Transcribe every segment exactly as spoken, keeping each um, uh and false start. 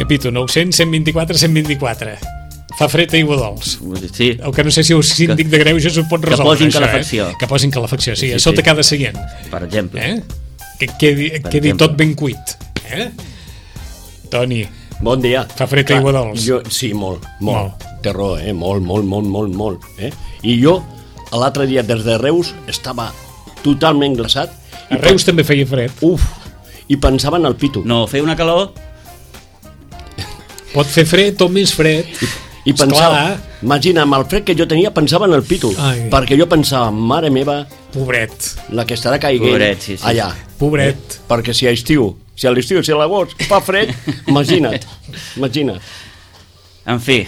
repito, nou-cents, cent vint-i-quatre, cent vint-i-quatre. Fa fred a Iguadols. Sí. El que no sé si el síndic de Greuges ho pot resoldre. Que posin això, calefacció. Eh? Que posin calefacció, sí, Sí, a sí, sota sí. cada seient. Per exemple. Eh? Que quedi, Per quedi exemple. tot ben cuit. Eh? Toni, Bon dia. fa fred a Iguadols. Jo, sí, molt, molt. Molt. Té raó, eh? Molt, molt, molt, molt, molt. Eh? I jo, l'altre dia, des de Reus, estava totalment glaçat. A Reus també feia fred. Uf, i pensava en el pito. No, feia una calor... Pot fer fred o més fred. I pensava, Esclar. imagina, amb el fred que jo tenia, pensava en el pito. Ai. Perquè jo pensava, mare meva, Pobret, la que estarà caiguent Pobret, sí, sí. allà. pobret. Eh? Perquè si a estiu, si a l'estiu, si a l'agost fa fred, imagina't, imagina't. En fi,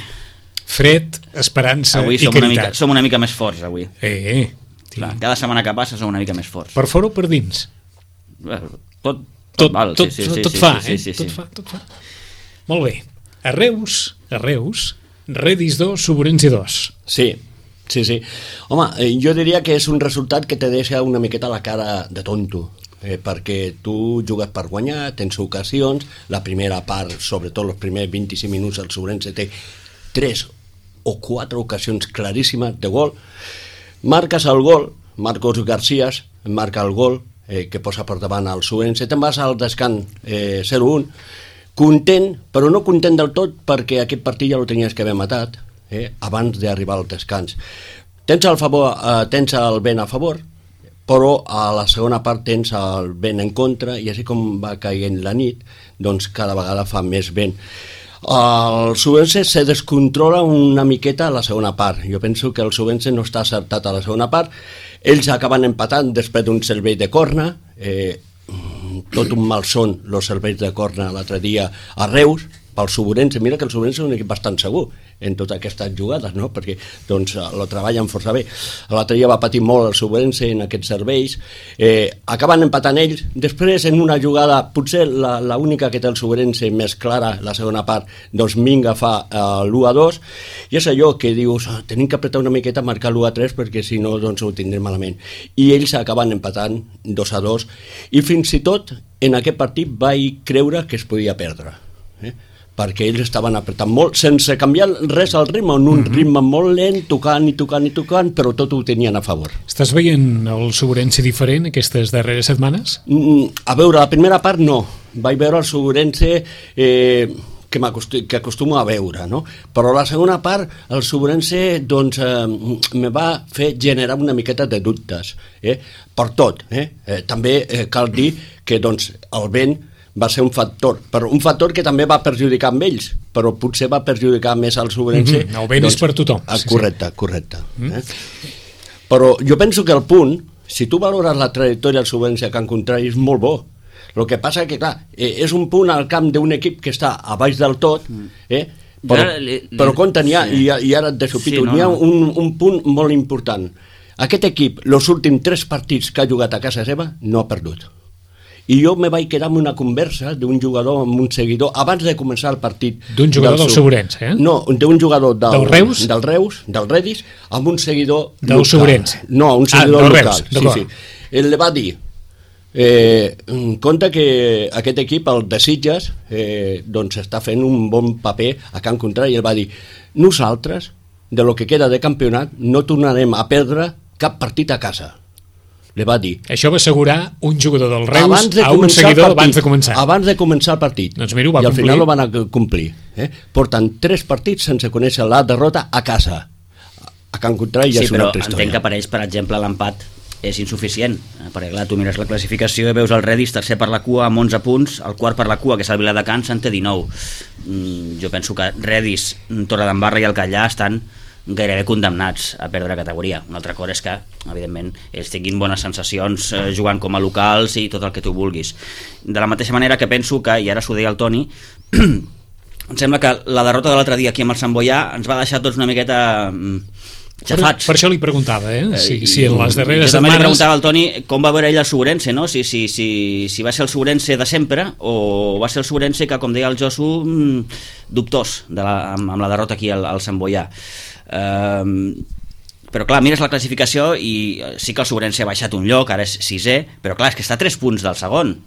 Fred, esperança avui i som una, mica, caritat. som una mica més forts, avui. Eh, eh. Clar, cada setmana que passa som una mica més forts. Per fora o per dins? Tot, tot, Tot, val, tot, sí, sí, sí, tot sí, fa, sí, eh? sí, sí, Tot sí. fa, tot fa. Molt bé. A Reus, a Reus, Redis dos, Suburensi dos. Sí, sí, sí. Home, eh, jo diria que és un resultat que te deixa una miqueta la cara de tonto, eh, perquè tu jugues per guanyar, tens ocasions, la primera part, sobretot els primers vint-i-cinc minuts, el Suburense té tres o quatre ocasions claríssimes de gol, marques el gol, Marcos Garcías marca el gol, eh, que posa per davant el Suburense, te'n vas al descans eh, zero un, content, però no content del tot perquè aquest partit ja el tenies que haver matat eh, abans d'arribar al descans. Tens el, favor, eh, tens el vent a favor, però a la segona part tens el vent en contra i així com va caient la nit, doncs cada vegada fa més vent. El Subense se descontrola una miqueta a la segona part. Jo penso que el Subense no està acertat a la segona part. Ells acaben empatant després d'un servei de corna, eh, tot un malson els serveis de corna l'altre dia a Reus pel Suburense. Mira que el Suburense és un equip bastant segur en totes aquestes jugades, no? Perquè doncs lo treballen força bé. L'altre dia va patir molt el Suburense en aquests serveis, eh, acaben empatant ells. Després en una jugada, potser la, la única que té el Suburense més clara, la segona part, doncs Minga fa eh, l'u a dos, i és allò que dius, oh, tenim que apretar una miqueta a marcar l'u a tres perquè si no doncs ho tindrem malament, i ells acaben empatant dos a dos, i fins i tot en aquest partit vaig creure que es podia perdre, eh? perquè ells estaven apretant molt, sense canviar res al ritme, en un mm-hmm. ritme molt lent, tocant i tocant i tocant, però tot ho tenien a favor. Estàs veient el Suburense diferent aquestes darreres setmanes? Mm, a veure, la primera part no. Vaig veure el Suburense eh, que, que acostumo a veure, no? Però la segona part, el Suburense doncs, eh, me va fer generar una miqueta de dubtes, eh? per tot. Eh? Eh, també eh, cal dir que doncs, el vent va ser un factor, però un factor que també va perjudicar amb ells, però potser va perjudicar més al Suburense. Mm-hmm. El vent doncs, és per tothom. Ah, correcte, sí, sí. correcte. Mm. Eh? Però jo penso que el punt, si tu valores la trajectòria del Suburense a camp contrari, és molt bo. El que passa que, clar, eh, és un punt al camp d'un equip que està a baix del tot, eh? però, li, li, però compte, n'hi ha, sí. i, i ara et desopito, Sí, no, n'hi ha no. un, un punt molt important. Aquest equip, els últims tres partits que ha jugat a casa seva, no ha perdut. I jo me vaig quedar amb una conversa d'un jugador amb un seguidor abans de començar el partit. D'un jugador del Suburense, eh? No, d'un jugador del, del Reus, del Reus, del Redis, amb un seguidor del local. Suburense. No, un seguidor ah, local. Reus, sí, sí. Ell li va dir, eh, compte que aquest equip, el de Sitges, eh, doncs està fent un bon paper a camp contrari, i ell va dir, nosaltres, de lo que queda de campionat, no tornarem a perdre cap partit a casa. Le va dir. Això va assegurar un jugador del Reus de a un seguidor partit, abans de començar. Abans de començar el partit. Doncs mira, ho va I al complir. final ho van complir. Eh? Porten tres partits sense conèixer la derrota a casa. A camp contrari ja sí, és una però altra història. entenc que per ells, per exemple, l'empat és insuficient, perquè clar, tu mires la classificació i veus el Redis tercer per la cua amb onze punts, el quart per la cua, que és el Viladecans, en té dinou. Mm, jo penso que Redis, Torredembarra i el Callà estan gairebé condemnats a perdre categoria. Una altra cosa és que, evidentment, ells tinguin bones sensacions eh, jugant com a locals i tot el que tu vulguis. De la mateixa manera que penso que, i ara s'ho deia el Toni, em sembla que la derrota de l'altre dia aquí amb el Sant Boià ens va deixar tots una miqueta mm, xafats. Per, per això li preguntava, eh? Si, si en les darreres jo també setmanes... li preguntava al Toni com va veure ell el Suburense, no? Si, si, si, si va ser el Suburense de sempre o va ser el Suburense que, com deia el Josu, mm, dubtós de la, amb, amb la derrota aquí al, al Sant Boià. Um, però clar, mires la classificació i sí que el Suburense ha baixat un lloc, ara és sisè, però clar, és que està a tres punts del segon,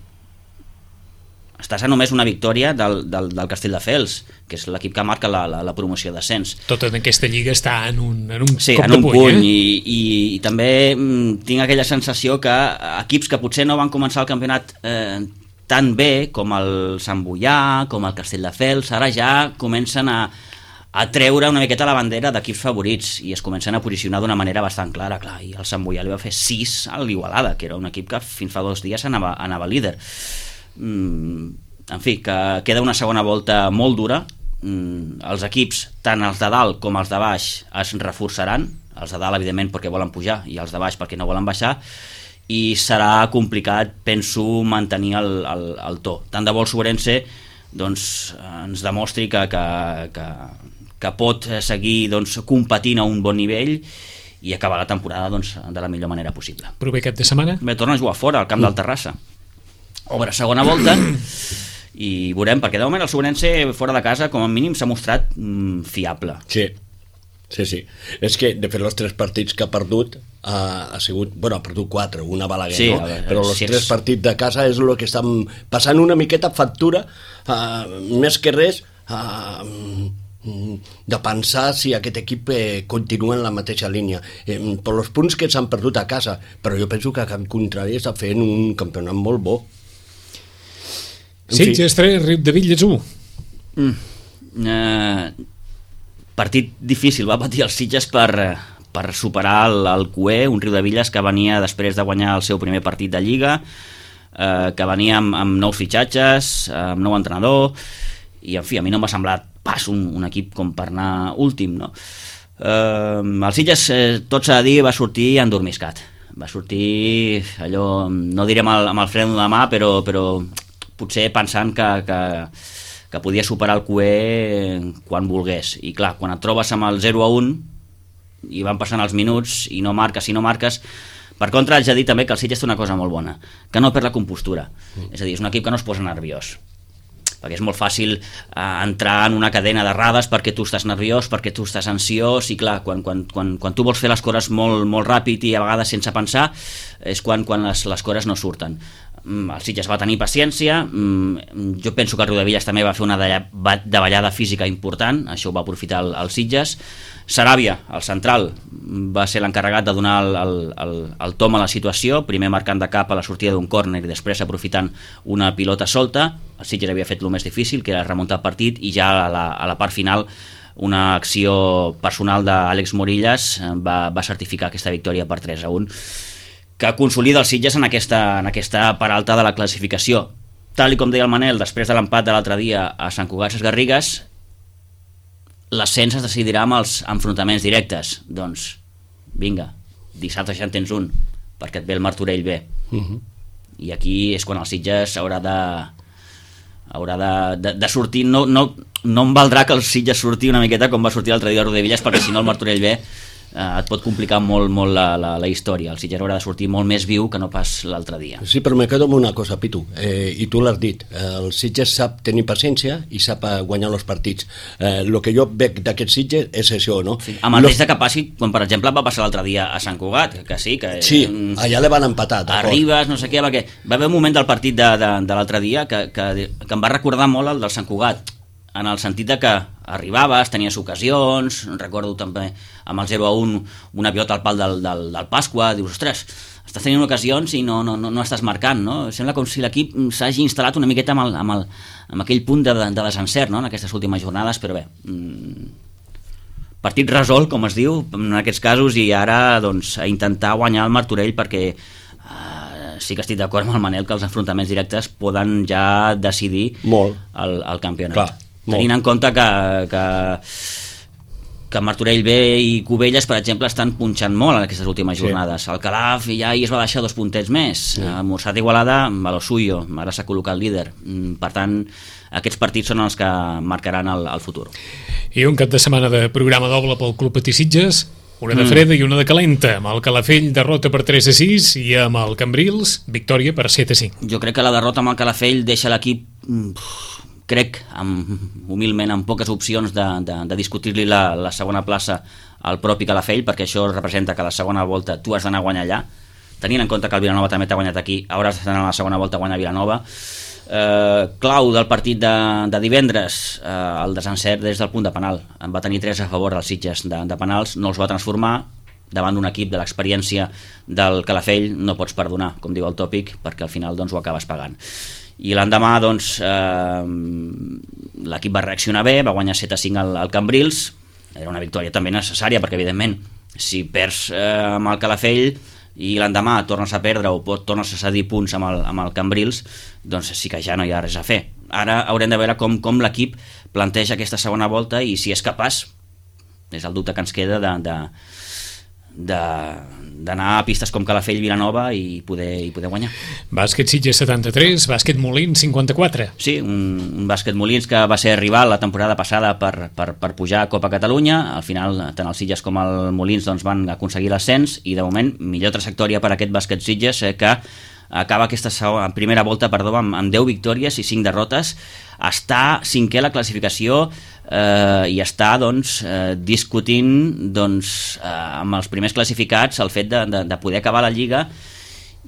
estàs a només una victòria del, del, del Castelldefels, que és l'equip que marca la, la, la promoció d'ascens. Tota aquesta lliga està en un, en un sí, cop en de un puny, puny eh? i, i, i també mm, tinc aquella sensació que equips que potser no van començar el campionat eh, tan bé com el Sant Boià, com el Castelldefels, ara ja comencen a, a treure una miqueta la bandera d'equips favorits i es comencen a posicionar d'una manera bastant clara, clar, i el Sant Boià li va fer sis a l'Igualada, que era un equip que fins fa dos dies anava, anava líder. Mm, en fi, que queda una segona volta molt dura. Mm, els equips, tant els de dalt com els de baix, es reforçaran, els de dalt evidentment perquè volen pujar i els de baix perquè no volen baixar, i serà complicat, penso, mantenir el, el, el to. Tant de bo el Sobrense doncs, ens demostri que, que, que, que pot seguir doncs, competint a un bon nivell i acabar la temporada doncs, de la millor manera possible. Proper cap de setmana? Bé, torna a jugar fora, al camp del Terrassa. Obre segona volta i veurem, perquè de moment el Sobrense fora de casa com a mínim s'ha mostrat mm, fiable. Sí, sí, sí. És que, de fet, els tres partits que ha perdut ha, ha sigut, bueno, ha perdut quatre, una Balaguer, sí, no? A veure, però els si tres és... partits de casa és el que estan passant una miqueta factura, uh, més que res, uh, de pensar si aquest equip eh, continua en la mateixa línia eh, per els punts que s'han perdut a casa, però jo penso que al contrari està fent un campionat molt bo. Sitges tres, Riudebitlles u. Mm. Eh, partit difícil va patir els Sitges per, per superar el, el Cué, un Riudebitlles que venia després de guanyar el seu primer partit de Lliga, eh, que venia amb, amb nous fitxatges, amb nou entrenador, i en fi, a mi no m'ha semblat pas un, un equip com per anar últim, no? Eh, el Sitges, eh, tot s'ha de dir, va sortir endormiscat, va sortir allò, no direm amb el, amb el fren de mà, però, però potser pensant que, que, que podia superar el Cué quan volgués, i clar, quan et trobes amb el zero a un i van passant els minuts i no marques i no marques. Per contra, haig de dir també que el Sitges té una cosa molt bona, que no perd la compostura, mm. és a dir, és un equip que no es posa nerviós, perquè és molt fàcil eh, entrar en una cadena d'errades perquè tu estàs nerviós, perquè tu estàs ansiós, i clar, quan, quan, quan, quan tu vols fer les coses molt, molt ràpid i a vegades sense pensar, és quan, quan les, les coses no surten. Mm, el Sitges va tenir paciència, mm, jo penso que el Riudebitlles també va fer una davallada física important, això ho va aprofitar el, el Sitges. Saràbia, el central, va ser l'encarregat de donar el, el, el, el tom a la situació, primer marcant de cap a la sortida d'un córner i després aprofitant una pilota solta. El Sitges havia fet el més difícil, que era remuntar el partit, i ja a la, a la part final una acció personal d'Àlex Morillas va, va certificar aquesta victòria per tres a un, que consolida el Sitges en aquesta, en aquesta part alta de la classificació. Tal i com deia el Manel, després de l'empat de l'altre dia a Sant Cugat Sesgarrigues, l'ascens es decidirà amb els enfrontaments directes. Doncs vinga, dissabte ja en tens un, perquè et ve el Martorell B. Uh-huh. I aquí és quan el Sitges haurà de haurà de, de, de sortir. No, no, no em valdrà que el Sitges surti una miqueta com va sortir l'altre dia a Riudebitlles, perquè si no el Martorell B eh, et pot complicar molt, molt la, la, la història. El Sitges haurà de sortir molt més viu que no pas l'altre dia. Sí, però me quedo amb una cosa, Pitu, eh, i tu l'has dit, el Sitges sap tenir paciència i sap guanyar els partits. El eh, que jo veig d'aquest Sitges és això, no? Sí, amb el Los... risc de que passi, quan per exemple va passar l'altre dia a Sant Cugat, que sí, que... Sí, allà le van empatar. Arribes, no sé què, perquè va haver un moment del partit de, de, de l'altre dia que, que, que em va recordar molt el del Sant Cugat, en el sentit de que arribaves, tenies ocasions, recordo també amb el zero a un una pilota al pal del, del, del Pasqua, dius, ostres, estàs tenint ocasions i no, no, no, no estàs marcant, no? Sembla com si l'equip s'hagi instal·lat una miqueta amb, el, amb, el, amb aquell punt de, de desencert, no?, en aquestes últimes jornades, però bé, mmm, partit resolt, com es diu, en aquests casos, i ara doncs, a intentar guanyar el Martorell, perquè eh, sí que estic d'acord amb el Manel que els enfrontaments directes poden ja decidir molt el, el campionat. Clar. Molt. Tenint en compte que, que, que Martorell B i Cubelles, per exemple, estan punxant molt en aquestes últimes jornades. Sí. El Calaf ja hi es va deixar dos puntets més. Sí. El Morsat Igualada va lo suyo, ara s'ha col·locat líder. Per tant, aquests partits són els que marcaran el, el futur. I un cap de setmana de programa doble pel Club Patí Sitges, una de freda mm. i una de calenta, amb el Calafell derrota per tres a sis i amb el Cambrils victòria per set a cinc. Jo crec que la derrota amb el Calafell deixa l'equip... crec, amb, humilment, amb poques opcions de, de, de discutir-li la, la segona plaça al propi Calafell, perquè això representa que la segona volta tu has d'anar a guanyar allà, tenint en compte que el Vilanova també t'ha guanyat aquí, hauràs d'anar a la segona volta a guanyar Vilanova. Eh, clau del partit de, de divendres, eh, el desencert des del punt de penal. En va tenir tres a favor dels Sitges de, de penals, no els va transformar. Davant d'un equip de l'experiència del Calafell no pots perdonar, com diu el tòpic, perquè al final doncs, ho acabes pagant. I l'endemà doncs, eh, l'equip va reaccionar bé, va guanyar set a cinc al, al Cambrils. Era una victòria també necessària, perquè evidentment si perds eh, amb el Calafell i l'endemà tornes a perdre o pot, tornes a cedir punts amb el, amb el Cambrils, doncs sí que ja no hi ha res a fer. Ara haurem de veure com, com l'equip planteja aquesta segona volta i si és capaç, és el dubte que ens queda, de, de, de, d'anar a pistes com Calafell, Vilanova i poder, i poder guanyar. Bàsquet Sitges setanta-tres, Bàsquet Molins cinquanta-quatre. Sí, un, un Bàsquet Molins que va ser rival la temporada passada per, per, per pujar a Copa Catalunya. Al final tant el Sitges com el Molins doncs, van aconseguir l'ascens i de moment millor trajectòria per a aquest Bàsquet Sitges, eh, que acaba aquesta segona, primera volta perdó, amb, amb deu victòries i cinc derrotes. Està cinquè a la classificació eh, i està doncs, eh, discutint doncs, eh, amb els primers classificats el fet de, de, de poder acabar la Lliga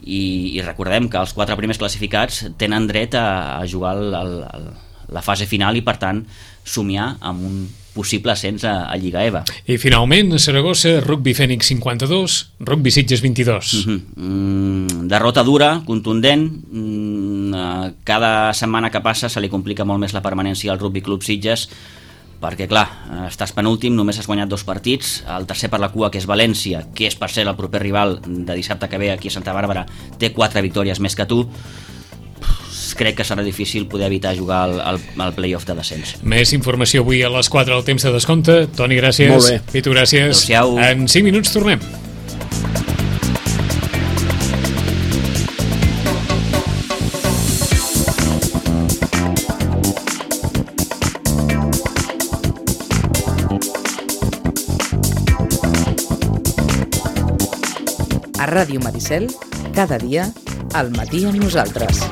i, i recordem que els quatre primers classificats tenen dret a, a jugar el, el, el, la fase final i per tant somiar amb un possible ascens a, a Lliga EVA. I finalment a Saragossa, Rugby Fènix cinquanta-dos, Rugby Sitges vint-i-dos. Uh-huh. mm, derrota dura, contundent. mm, cada setmana que passa se li complica molt més la permanència al Rugby Club Sitges perquè clar, estàs penúltim, només has guanyat dos partits, el tercer per la cua que és València, que és per ser el proper rival de dissabte que ve aquí a Santa Bàrbara, té quatre victòries més que tu. Crec que serà difícil poder evitar jugar al, al, al play-off de descens. Més informació avui a les quatre al temps de descompte. Toni, gràcies. Molt bé. Pitu, gràcies. Adéu-siau. En cinc minuts tornem. A Ràdio Maricel, cada dia, al matí amb nosaltres.